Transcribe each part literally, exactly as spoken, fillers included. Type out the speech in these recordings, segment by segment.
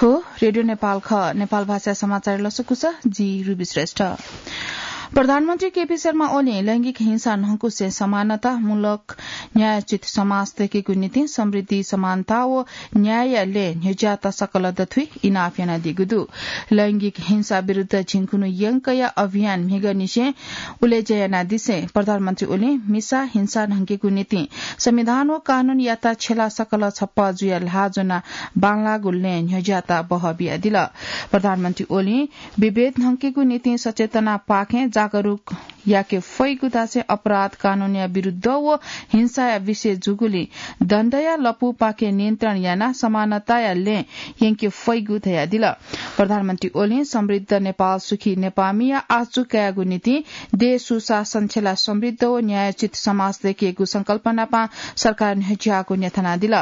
हो, रेडियो नेपाल खः। नेपाल भाषा समाचार लसकुस, जि रुबी श्रेष्ठ। प्रधानमन्त्री केपी शर्मा ओलीं लैंगिक हिंसा न्हंकुसे समानतामूलक न्यायोचित समाज दयेकेगु निंतिं समृद्धि, समानता व न्यायया लँय् न्ह्यज्याःत सकल दथुइ इनाप यानादीगु दु। लैंगिक हिंसा विरुद्ध झिंखुन्हु यंकया अभियान म्हिगःनिसें उलेज्या यानादिसें प्रधानमन्त्री ओलीं मिसा हिंसा न्हंकेगु निंतिं संविधान व कानूनयात छ्यला सकल छप्पा जुयाः ल्हाः ज्वनाः बांलाःगु लँय् न्ह्यज्याःत बहः बियादिल। प्रधानमन्त्री ओलीं विभेद न्हंकेगु निंतिं सचेतनापाखें जागरुक याके फइगु धासें अपराध कानूनया विरुद्ध व हिंसाया विषय जूगुलिं दण्डया लँपुपाखे नियन्त्रण यानाः समानताया लँय् यंके फइगु धयादिल। प्रधानमन्त्री ओलीं समृद्ध नेपाल सुखी नेपाःमिया आशा कायेगु निंतिं देश सुशासन छ्यला समृद्ध व न्यायोचित समाज दयेकेगु संकल्पनापां सरकार न्ह्यज्याःगु न्ह्यथनादिल।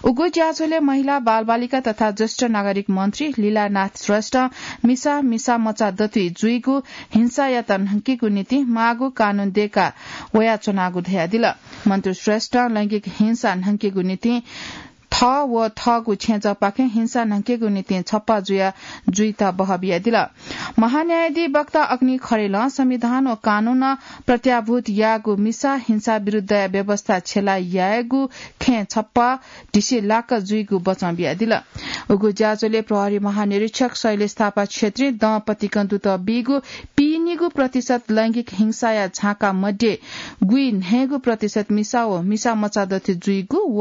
उगु ज्याझ्वलय् महिला, बालबालिका तथा ज्येष्ठ नागरिक मन्त्री लीलानाथ श्रेष्ठं मिसा, मिसा मचा दथुइ जुइगु हिंसायात न्हंकेगु निंतिं माःगु कानून दयेका वयाच्वनागु धयादिल। मन्त्री श्रेष्ठं लैंगिक हिंसा न्हंकेगु निंतिं थः व थःगु छेँजःपाखें हिंसा न्हंकेगु निंतिं छप्पा जुया जुइत बहः बियादिल। महान्यायाधीश वक्ता अग्नि खरेलं संविधान व कानूनं प्रत्याभूत याःगु मिसा हिंसा विरुद्धया व्यवस्था छ्यला यायेगु खँय् छप्पा ढिसे लाक्क जुइगु बचं बियादिल। उगु ज्याझ्वलय् प्रहरी महानिरीक्षक शैलेश थापा क्षेत्रीं दँ पतिकं दुत बीगु पीनिगू प्रतिशत लैंगिक हिंसाया झाँका मध्ये गुइन्हय्गू प्रतिशत मिसा व मिसा मचा दथुइ जुइगु व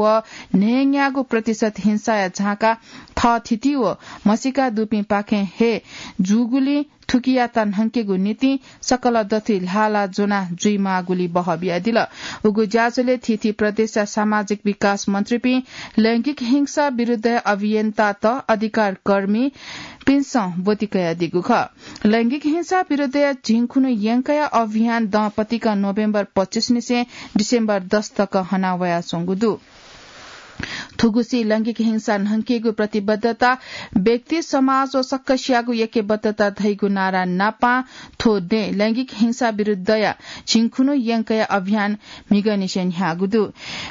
न्हय्न्यागू प्रतिशत हिंसाया झाँका थःथिति व म्हसीका दुपिंपाखें हे जूगुलिं थुकियात न्हंकेगु निंतिं सकल दथुइ ल्हाः ल्हाः ज्वनाः जुइमाःगुलि बहः बियादिल। उगु ज्याझ्वलय् थीथी प्रदेशया सामाजिक विकास मन्त्रीपिं, लैंगिक हिंसा विरुद्धया अभियन्तात, अधिकारकर्मीपिन्सं ब्वति कयादीगु खः। लैंगिक हिंसा विरुद्धया झिंखुन्हु यंकया अभियान दँ पतिकं नोभेम्बर पच्चीस निसें डिसेम्बर दस तक हना वयाच्वंगु दु। थुगुसी लैंगिक हिंसा न्हंकेगु प्रतिबद्धता, व्यक्ति, समाज व सकसियागु ऐक्यबद्धता धइगु नारा नापां थ्व दँय् लैंगिक हिंसा विरुद्धया झिंखुन्हु यंकया अभियान म्हिगःनिसें न्ह्याःगु दु।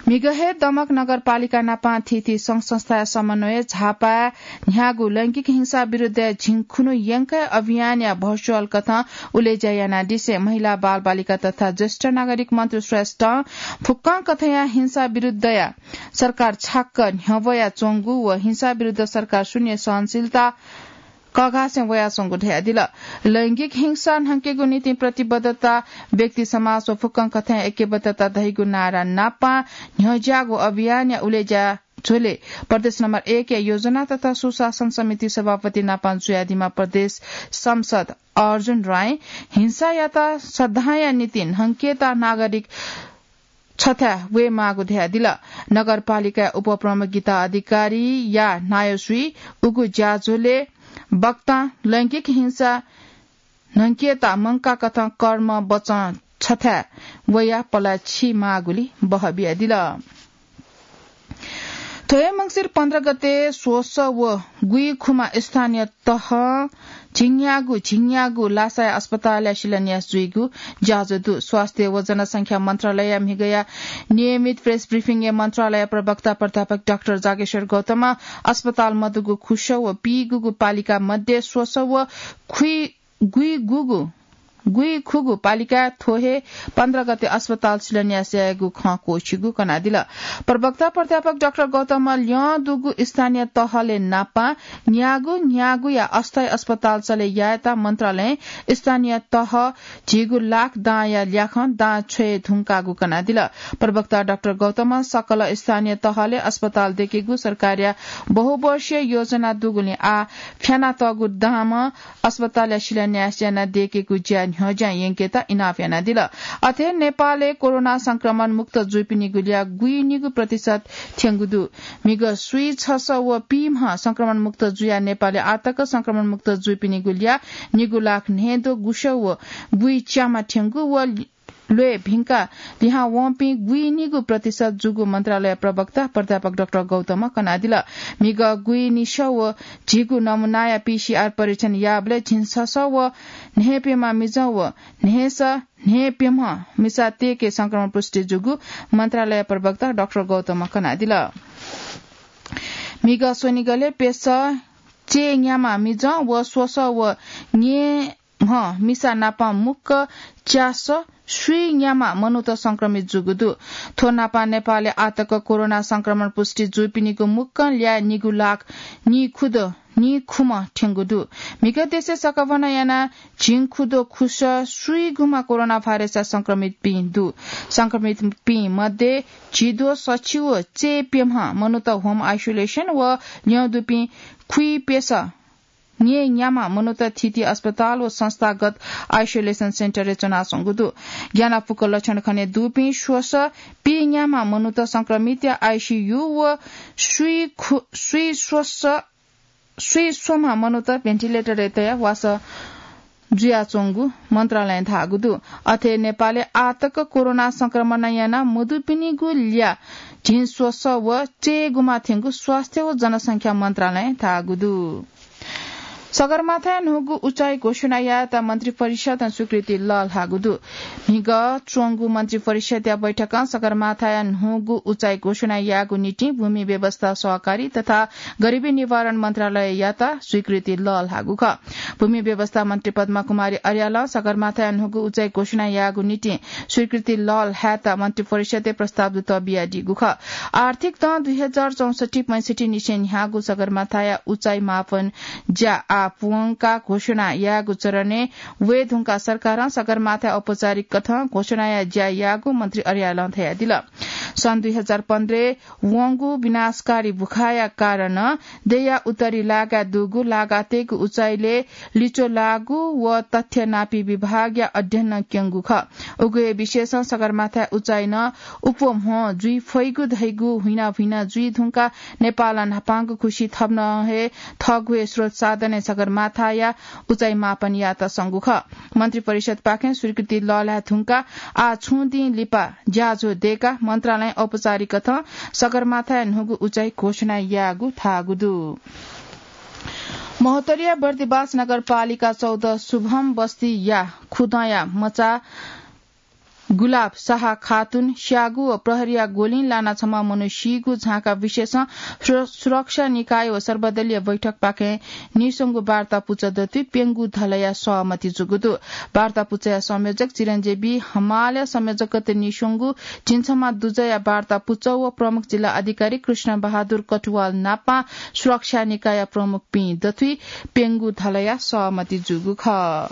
म्हिगः हे दमक नगरपालिका नापां थीथी संघ संस्थाया समन्वयय् झापाय् न्ह्याःगु लैंगिक हिंसा विरुद्धया झिंखुन्हु यंकया अभियानया भर्चुअल कथं उलेज्या यानादिसें महिला, बालबालिका तथा ज्येष्ठ नागरिक मन्त्री श्रेष्ठं फुक्कं कथंया हिंसा विरुद्धया सरकार छाक्क न्ह्यब्वयाच्वंगु व हिंसा विरुद्ध सरकार शून्य सहनशीलता कःघासें वयाच्वंगु धयादिल। लैंगिक हिंसा न्हंकेगु निंतिं प्रतिबद्धता, व्यक्ति, समाज व फुक्कं कथंया ऐक्यबद्धता धइगु नारा नापां न्ह्यज्याःगु अभियानया उलेज्या झ्वलय् प्रदेश नम्बर एक या योजना तथा सुशासन समिति सभापति नापां जुयादीम्ह प्रदेश सांसद अर्जुन रायं हिंसायात सदांया निंतिं न्हंकेत नागरिक छथाय् वयेमाःगु धयादिल। नगरपालिकाया उपप्रमुख गीता अधिकारीया नायःसुइ उगु ज्याझ्वलय् वक्तां लैंगिक हिंसा न्हंकेत मंका कथं कर्म वचं छथाय् वयाः पलाः छिमाःगुलि बहः बियादिल। थ्व हे मंसिर पन्ध्र गते स्वसः व गुइखुम्ह स्थानीय तहं झिंन्यागू झिंन्यागू लासाया अस्पतालया शिलान्यास जुइगु ज्याझ्वः दु। स्वास्थ्य व जनसंख्या मन्त्रालयया म्हिगःया नियमित प्रेस ब्रिफिङय् मन्त्रालय प्रवक्ता प्राध्यापक डाक्टर जागेश्वर गौतमं अस्पताल मदुगु खुसः व पीगुगु पालिका मध्ये स्वसः व खुइ गुइगुगु गुइखुगू पालिकाय् थ्व हे पन्ध्र गते अस्पताल शिलान्यास यायेगु खँ क्वःछिगु कनादिल। प्रवक्ता प्राध्यापक डाक्टर गौतमं ल्यं दुगु स्थानीय तहलय् नापां न्यागू न्यागूया अस्थायी अस्पताल चले यायेत मन्त्रालयं स्थानीय तह झिगू लाख दांया ल्याखं दां छ्वये धुंकाःगु कनादिल। प्रवक्ता डाक्टर गौतमं सकल स्थानीय तहलय् अस्पताल दयेकेगु सरकारया बहुवर्षीय योजना दुगुलिं आः फ्यानातःगु दांम्ह अस्पतालया शिलान्यास यानादयेकेगु ज्या न्ह्यज्यां यंकेत इनाप यानादिल। अथे नेपालय् कोरोना संक्रमण मुक्त जुइपिनिगु ल्याः गुइनिगू प्रतिशत थ्यंगु दु। म्हिगः स्वीछसः व पीम्ह संक्रमण मुक्त जुयाः नेपालय् आःतक संक्रमण मुक्त जुइपिनिगु ल्याः निगू लाख न्हय्द्वः गुसः व गुइच्याम्ह थ्यंगु व ल्वय् भिंकाः लिहां वंपिं गुइनिगू प्रतिशत जूगु मन्त्रालय प्रवक्ता प्राध्यापक डाक्टर गौतमं कनादिल। म्हिगः गुइनिसः व झिगू नमुनाया पीसीआर परीक्षण याःबलय् झिंछसः व न्हय्प्यम्ह मिजं व न्हय्सः न्हय्प्यम्ह मिसा तय्के संक्रमण पुष्टि जूगु मन्त्रालय प्रवक्ता डाक्टर गौतमं कनादिल। म्हिगः स्वनिगलय् प्यसः चय् न्यामा मिजं व स्वसः व न्येम्ह मिसा नापं मुक्क च्यासः स्वीन्यामा मनूत संक्रमित जूगु दु। थ्व नापं नेपालय् आःतक कोरोना संक्रमण पुष्टि जूपिनिगु मुक्कं ल्याः निगू लाख निखुद निखुम्ह थ्यंगु दु। म्हिगः देशय् सकभनं यानाः झिंखुद खुसः स्वीगुम्ह कोरोना भाइरसया संक्रमितपिं दु। संक्रमितपिं मध्ये झिद्वः सछि व चय् प्यम्ह मनूत home isolation व ल्यं दुपिं खुइप्यसः न्येन्यामा मनूत थीथी अस्पताल व संस्थागत isolation centre य् च्वनाच्वंगु दु। ग्यानापुक लक्षण खने दुपिं स्वसः पीन्यामा मनूत संक्रमितया आईसीयू व स्वीखु-, स्वीस्वस-, स्वीस्वम्ह मनूत ventilator य् तयाः वासः जुयाच्वंगु मन्त्रालयं धाःगु दु। अथे नेपालय् आःतक कोरोना संक्रमण याना मदुपिनिगु ल्याः झिंस्वसः व चय्‌गुम्ह थ्यंगु स्वास्थ्य व जनसंख्या मन्त्रालयं धाःगु दु। सगरमाथाया न्हूगु उचाइ घोषणा यायेत मन्त्रिपरिषदं स्वीकृति लःल्हाःगु दु। म्हिगः च्वंगु मन्त्रिपरिषदया बैठकं सगरमाथाया न्हूगु उचाइ घोषणा यायेगु निंतिं भूमि व्यवस्था, सहकारी तथा गरिबी निवारण मन्त्रालययात स्वीकृति लःल्हाःगु खः। भूमि व्यवस्था मन्त्री पद्मा कुमारी अर्यालं सगरमाथाया न्हूगु उचाइ घोषणा यायेगु निंतिं स्वीकृति लःल्हायेत मन्त्रिपरिषदय् प्रस्ताव दुत बियादीगु खः। आर्थिक दँ दुई हजार चौसट्ठी पैंसट्ठी निसें न्ह्याःगु सगरमाथाया उचाइ मापन ज्या आः पूवंकाः घोषणा यायेगु चरणय् वये धुंकाः सरकारं सगरमाथाय् औपचारिक कथं घोषणाया ज्या याःगु मन्त्री अर्यालं धयादिल। सन् दुई हजार पन्ध्रय् वंगु विनाशकारी भुखाया कारणं देय्‌या उत्तरी लागाय् दुगु लागातय्‌गु उचाइलय् लिच्वः लाःगु व तथ्य नापी विभागया अध्ययनं क्यंगु खः। उगु हे विषयसं सगरमाथाया उचाइ नं उप्वम्ह जुइ फइगु धइगु हुइना हुइना जुइ धुंकाः नेपालं न्हापांगु खुसि थन हे थःगु हे स्रोत साधनय् सगरमाथाया उचाइ मापन यायेत संगु खः। मन्त्रिपरिषदपाखें स्वीकृति लःल्हाये धुंकाः आः छुं दिं लिपा ज्याझ्वः दय्‌काः मन्त्रालयं औपचारिक कथं सगरमाथाया न्हूगु उचाइ घोषणा याःगु धाःगु दु। महोत्तरीया बर्दिबास नगरपालिका चौध शुभम बस्तीया खुदँया मचा गुलाब शाह खातुन स्याःगु व प्रहरीया गोलिं लानाः छम्ह मनू सीगु झांका विषयसं सुर-, सुरक्षा निकाय व सर्वदलीय बैठकपाखें नीस्वंगू वार्ता पुचः दथुइ प्यंगू धलया सहमति जूगु दु। वार्ता पुचःया संयोजक चिरञ्जीवी हमालया संयोजकत्वय् नीस्वंगू झिंछम्ह दुजःया वार्ता पुचः व प्रमुख जिल्ला अधिकारी कृष्ण बहादुर कटुवाल नापं सुरक्षा निकायया प्रमुखपिं दथुइ प्यंगू धलया सहमति जूगु खः।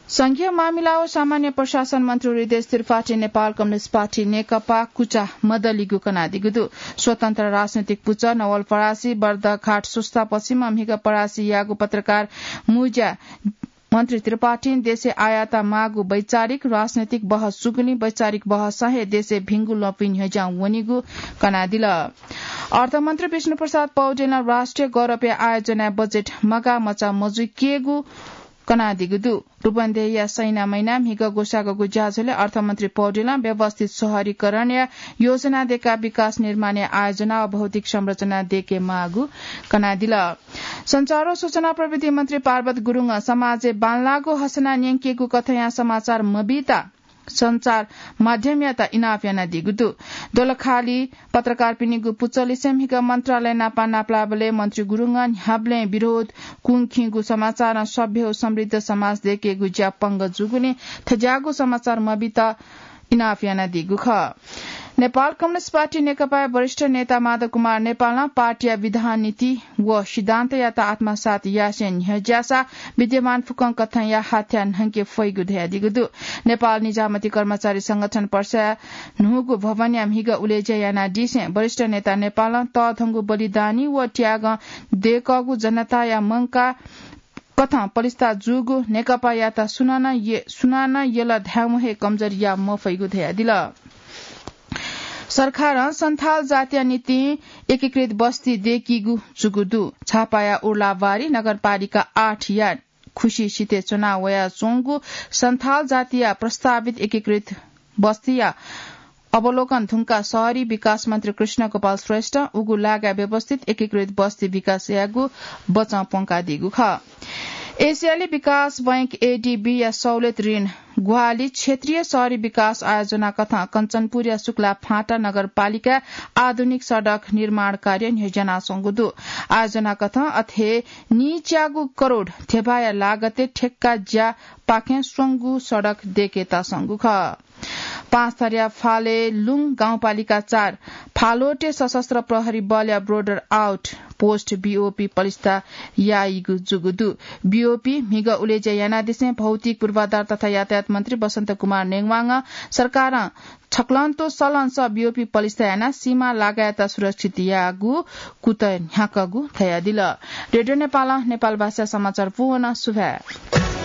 संघीय मामिला व सामान्य प्रशासन मन्त्री हृदयेश त्रिपाठीं नेपाल कम्युनिस्ट पार्टी नेकपा कुचा मदलिगु कनादीगु दु। स्वतन्त्र राजनैतिक पुचः नवलपरासी बर्दघाट स्वस्ता पश्चिमं म्हिगः परासी याःगु पत्रकार मुँज्या मन्त्री त्रिपाठीं देशय् आःयात माःगु वैचारिक राजनैतिक बहस जूगुलिं वैचारिक बहसं हे देशय् भिंगु ल्वपुइ न्ह्यज्यां वनीगु कनादिल। अर्थमन्त्री विष्णुप्रसाद पौडेलं राष्ट्रिय गौरवया आयोजनाय् बजेट मगाः मचा मजुइकेगु कनादीगु दु। रूपन्देहीया सैना मैना म्हिगः ग्वसाःगु ज्याझ्वलय् अर्थमन्त्री पौडेलं व्यवस्थित शहरीकरणया योजना दय्काः विकास निर्माणया आयोजना व भौतिक संरचना दय्के माःगु कनादिल। सञ्चार व सूचना प्रविधि मन्त्री पार्वत गुरुङं समाजय् बांलाःगु हसना न्यंकेगु कथंया समाचार मबीत सञ्चार माध्यमयात इनाप यानादीगु दु। दोलखाली पत्रकारपिनिगु पुचःलिसे म्हिगः मन्त्रालय नापं नापलाःबलय् मन्त्री गुरुङं न्ह्याबलें विरोध, कुंखिंगु समाचारं सभ्य व समृद्ध समाज दय्केगु ज्या पंगः जूगुलिं थज्याःगु समाचार मबीत इनाप यानादीगु खः। नेपाल कम्युनिस्ट पार्टी नेकपाया वरिष्ठ नेता माधव कुमार नेपालं पार्टीया विधान, नीति व सिद्धान्तयात आत्मसात यासें न्ह्यज्याःसा विद्यमान फुक्कं कथंया हाथ्या न्हंके फइगु धयादीगु दु। नेपाल निजामती कर्मचारी संगठन पर्सा न्हूगु भवनया म्हिगः उलेज्या यानादीसें वरिष्ठ नेता नेपालं तःधंगु बलिदानी व त्यागं दय्कःगु जनताया मंकाः कथं पलिस्था जूगु नेकपायात सुनानं ये-, सुनानं यल धायेवं हे कमजोरी याये मफइगु धयादिल। सरकारं सन्थाल जातिया निंतिं एकीकृत बस्ती दय्कीगु जूगु दु। झापाया उर्लाबारी नगरपालिका आठया खुसी सिथय् च्वना वयाच्वंगु सन्थाल जातिया प्रस्तावित एकीकृत बस्तीया अवलोकन धुंकाः शहरी विकास मन्त्री कृष्ण गोपाल श्रेष्ठं उगु लागाय् व्यवस्थित एकीकृत बस्ती विकास यायेगु बचं प्वंकादीगु खः। एसियाली विकास बैंक एडीबी या सहुलियत ऋण ग्वाहालि क्षेत्रीय शहरी विकास आयोजना कथं कञ्चनपुर या शुक्ला फाँटा नगरपालिका आधुनिक सडक निर्माण कार्य न्ह्यज्यानासंगु दु। आयोजना कथं अथे नीच्यागु करोड धेबाया लागते ठेक्का ज्या पाखें स्वंगु सडक देकेतासंगु खः। पाँचथरया फाले लुङ गाउँपालिका चार फालोटे सशस्त्र प्रहरी बलया बोर्डर आउट पोस्ट बीओपी पलिस्था याइगु जुगु दु। बीओपी म्हिगः उलेज्या यानादिसें भौतिक पूर्वाधार तथा यातायात मन्त्री बसन्त कुमार नेङवाङं सरकारं छक्लंतो सलंस बीओपी पलिस्था यानाः सीमा लागायत सुरक्षित याःगु कुतः न्ह्याकःगु धयादिल। रेडियो नेपालं नेपाल भाषा समाचार पूवन सुभाय्।